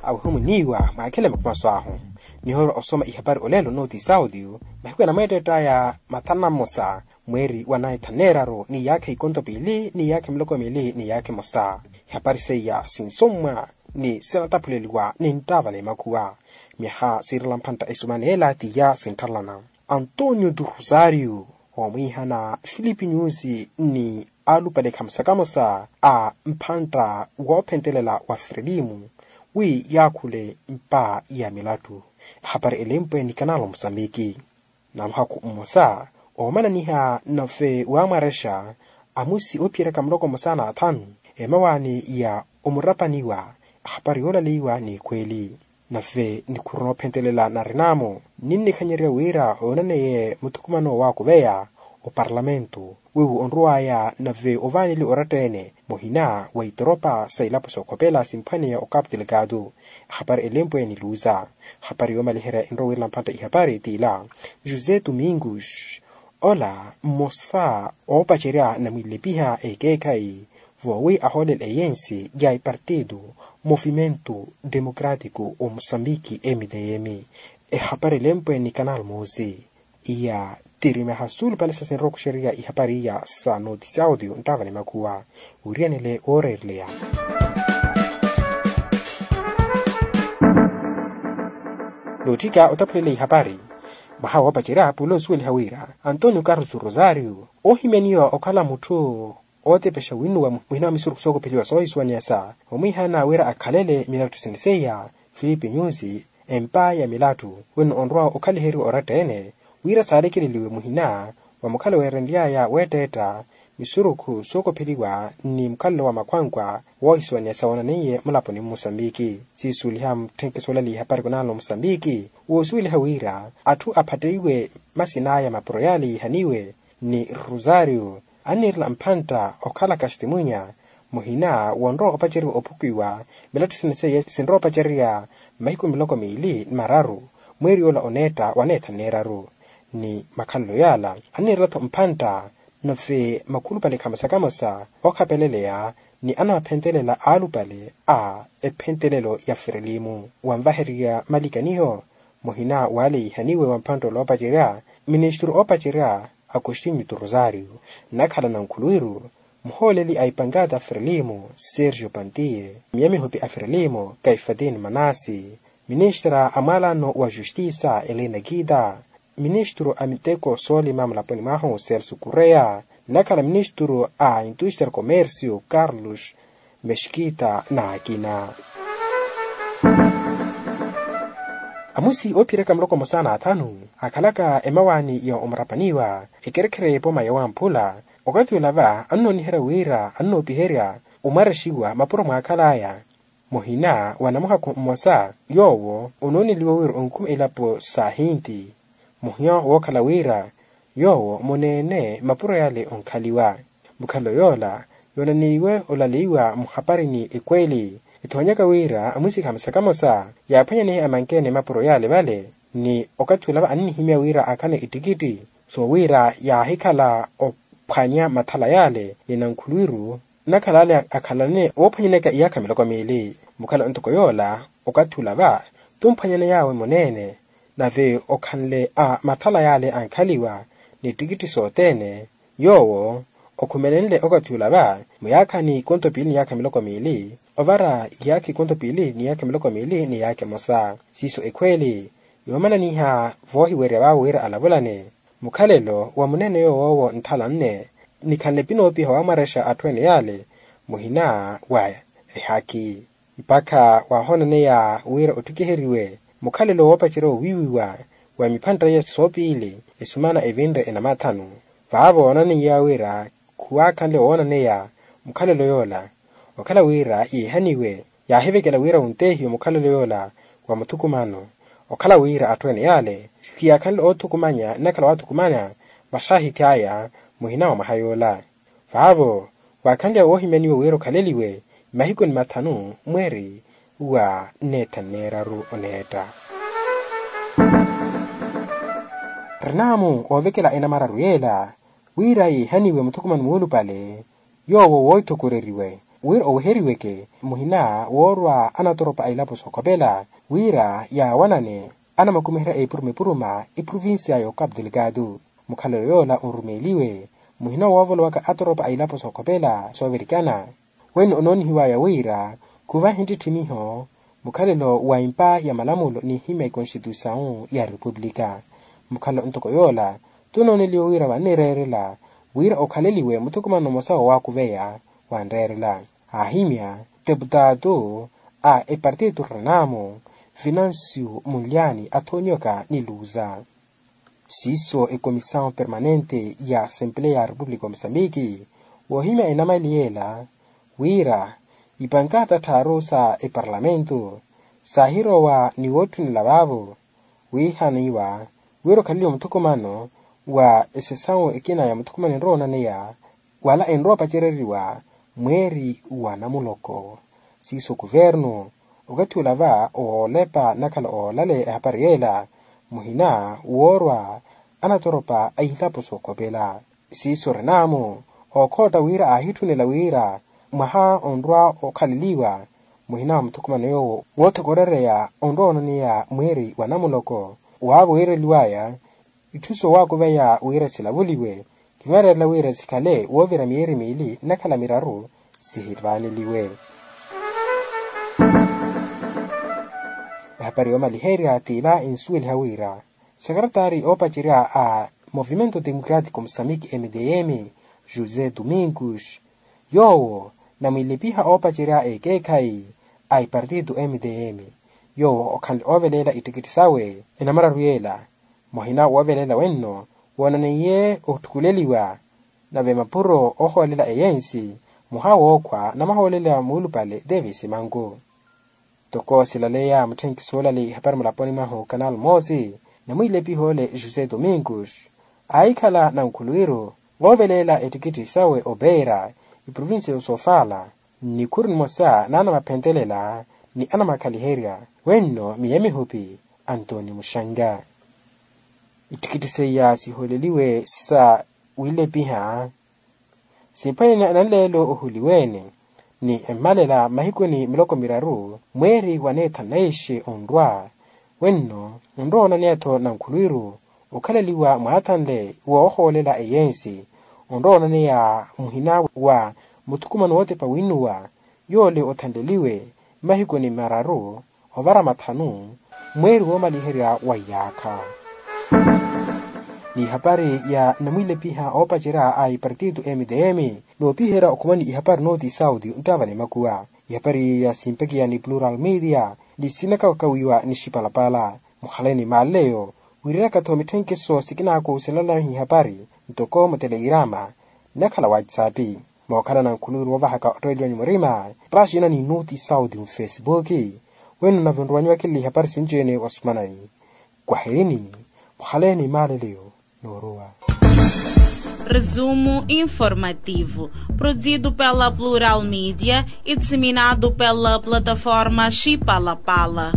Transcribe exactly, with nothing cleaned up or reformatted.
Awehumuniiwa mwakhele makumaso ahu. Nihoorwa osoma ihapari olelo nooti saudio mahiku enamweetteett'aya mathanu na mmosa mweeri wa naitha neeraru ni yaakha ikonto piili ni yaakha miloko miili ni yaakha emosa. Ihapari seiya sinsommwa ni sinataphuleliwa ni nttaava n'emakhuwa. Myaha siirela mphantta esumana ela tiya sintthalana. Antonio tu rosario omwiihana filipi nyusi ni alupale khamosa khamosa a mphantta woophentelela wa frelimu wi yaakhule mpa ya milattu. Ehapari elempwe ni kanalo musambiki. Na muhakhu mmosa oomananiha nave waamwarexa amusi oophiyeraka muloko mmosa n'athanu emawaani ya omurapaniwa. Ehapari yoolaleiwa n'ekhweeli. Nave nikhuru noophentelela narin'amo ninnikhanyerya wira oonaneye muthukumano waakuveya oparlamento wiwo onruwaya nave ovaaneliwa oratta-ene muhina wa itoropa sa ilapo sookhopela simphwaneya okapu delegado. Ehapari elempwe niluuza. Ehapari yoomaliherya enrowa wirela mphantta ihapari t'ila josé domingos ola mmosa oopacerya namwilepiha ekeekhayi voowi ahoolela eyensi ya ipartido movimento democratico o musambiki mdm. Ehapari elempwe ni kanal moosi iya tirimeha suulupale sa sinrowa okuxerya ihapari iya sa nooti saudio nttaava ni makhuwa. Wiriyanele wooreereleya nootthika otaphulele ihapari. Mwaha woopacerya pula osuweliha wira antonio carlos rosario oohimyaniwa okhala mutthu ootepexa winnuwa muhina wa misurukhu sookopheliwa soohisuwaniyasa omwiihana wira akhalele milattu sene seiya filipi nyusi empa ya milattu wino onrowa okhaliheriwa oratta-ene wira saalekeleliwe muhina wa mukhala weerenly'aya weetteetta misurukhu sookopheliwa ni mukhalelo wa makhwankwa woohisuwaniyasa woonaneiye mulaponi mmusambiki. Siisuweliha mutthenke soolaliha ehapari kunanlo musambiki woosuweliha wira atthu aphatteiwe masin'aya mapuro yaale yiihaniwe ni rosario anniirela mphantta okhala kastimunya muhina wonrowa opaceriwa ophukiwa milattu sene seiye sinrowa opacerya mahiku miloko miili ni mararu mweeri yoola oneetta wa neetha neeraru ni makhalelo yaala anniirela-tho mphantta nave makhulupale khamosa khamosa ookhapeleleya ni anawaphentelela aalupale a ephentelelo ya frelimu wanvahererya malikaniho muhina waale yiihaniwe wa mphantta oloopacerya ministru oopacerya agostinho tu rosario nnakhala nankhuluwiru muhooleli a ipankata frelimu sergio pantiye miyamihopi a frelimu kaifatini manasi ministra a mwaalano wa justisa elina kita ministru a miteko soolima mulaponi mwahu celso kureya nnakhala ministru a intusta ni komersio carlos mexkita n'akina. Amusi oophiyeryaka muloko mmosa n'athanu akhalaka emawaani ya omurapaniwa ekerekhere y'epoma ya wamphula okathi olava annooniherya wira annoopiherya omwarexiwa mapuro mwaakhal'aya muhina wa namuhakhu mmosa yoowo onooneliwa wira onkhuma elapo sa ahinti muhina wookhala wira yoowo muneene mapuro yale onkhaliwa mukhalelo yoola yoonaneiwe olaleiwa muhaparini ekweeli ethoonyaka wira amusi khamosa khamosa yaaphwanyanehe amankeene mapuro yale vale ni okathi olava annihimya wira akhane ettikitti soowira yaahikhala ophwanya mathala yale ni nankhuluwiru nnakhala ale akhalane woophwanyaneyaka iyaakha miloko miili mukhala ntoko yoola okathi olava tumphwanyaney'awe muneene nave okhanle a mathala yale ankhaliwa n'ettikitti sothene yoowo okhumelenle okathi olava muyaakhani konto piili ni yaakha miloko miili ovara iyaakha ikonto piili ni yaakha miloko miili ni yaakha emosa siiso ekhweeli yoomananiha voohiwerya vaawe wira alavulane mukhalelo wa muneene yoowo nthala nne nikhanle pinoopiha waamwarexa atthu ene yale muhina wa ehaki mpakha waahoonaneya wira ottikiheriwe mukhalelo woopacerya owiiwiwa wa miphantta iya soopiili esumana evinre enamathanu vaavo oonaneiya wira khuwaakhanle woonaneya mukhalelo yoola okhala wira yeehaniwe yaahivekela wira wunteehiwe mukhalelo yoola wa muthukumano okhala wira atthu ene yale khiyaakhanle oothukumanya nnakhala waathukumanya vaxaahithi aya muhina wa mwaha yoola vaavo waakhanly'awe woohimyaniwa wira okhaleliwe mahiku ni mathanu mweeri wa neetha neeraru oneetta rinaamu oovekela enamararu yeela wira yeehaniwe muthukumano muulupale yoowo wooithokoreriwe wira oweheriweke muhina woorwa anatoropa a ilapo sookhopela wira yaawanane anamakumiherya epuruma epuruma eprovincia y'okapu delgado. Mukhalelo yoola onrumeeliwe muhina woovolowaka atoropa a ilapo sookhopela soovirikana. Wenno onoonihiwaya wira khuvahe ntitthimiho mukhalelo wa empa ya malamulo n'ihimya ekonstituisawu ya repupulika. Mukhalelo ntoko yoola tunooneliwe wira vannireerela wira okhaleliwe muthukumano mmosa woowakuveya wanreerela aahimya teputaatu a epartito renamo financio munlyani athonyoka ni luza. Siiso ecomisaw permanente ya assempleya ya repupulika wa mosambiki woohimya enamali yeela wira ipankaata tthaaru sa eparlamentu saahirowa ni wootthunela vaavo wiihaniwa wira okhaleliwe muthukumano wa esesawu ekina ya muthukumano enrowa onaneya wala enrowa opacereriwa mweeri wa namuloko. Siiso kuvernu okathi olava oolepa nakhala oolale ehapari yeela muhina woorwa anatoropa a ilapo sookhopela siiso renamo ookhootta wira aahitthunela wira mwaha onrwa okhaleliwa muhina wa muthukumano yoowo woothokorereya onrwa onaneya mweeri wa namuloko waavo wiireliwaya itthu soowakuveya wira silavuliwe. Kinweererela wira sikhale woovira miyeeri miili nnakhala miraru sihivaaneliwe. Ehapari yoomaliherya t'ila ensuweliha wira sekaretari oopacerya a movimento democratico mosamiki mdm josé domingos yoowo namwilepiha oopacerya ekeekhayi a epartito mdm yoowo okhanle ooveleela ittikitthi sawe enamararu yeela muhina woovelela wenno woonaneiye otthukuleliwa nave mapuro oohoolela eyensi muha wookhwa namahoolela muulupale davis manku. Toko silaleya mutthenki soolali ihapari mulaponi mwahu kanal moosi namwiilepiha ole josé domingos aahikhala nankhulwiru voovelela ettikitthi sawe opeera eprovincia y'osofala nnikhuru nimosa n'anamaphentelela ni anamakhaliherya wenno miya mihupi antoni muxanga. Ittikitthi seiya sihooleliwe sa wiilepiha simphwene nanleelo ohuliweene ni emmalela mmahikuni miloko miraru mweeri wa neethanu na ixe onrwa wenno onrowa onaneya-tho nankhulwiru okhaleliwa mwaathanle woohoolela eyensi onrowa onaneya muhina wa muthukumano wootepa winnuwa yoole othanleliwe mmahikuni mararu ovara mathanu mweeri woomaliherya wa iyaakha. N'ihapari ya namwiilepiha oopacerya a ipartito mdm noopiherya okhumani ihapari nooti saudi nttaavale makuwa ihapari ya simpakiya ni plural media ni sinakawakawiwa ni xipalapala mukhale ni maaleleyo wiiriraka-tho mitthenkeso sikinaakuuselelahi ihapari ntoko mutelegrama nnakhala whatsapp mookhala nankhuluwiru woovahaka ottoeliwanyu murima paxina ni nuti saudi mufesipuki wenu nave onruwanyu wakilili ihapari sinci-ene wa sumanani kwaherini mukhale ni maaleleyo. Noorowa. Resumo informativo produzido pela plural media e disseminado pela plataforma xipalapala.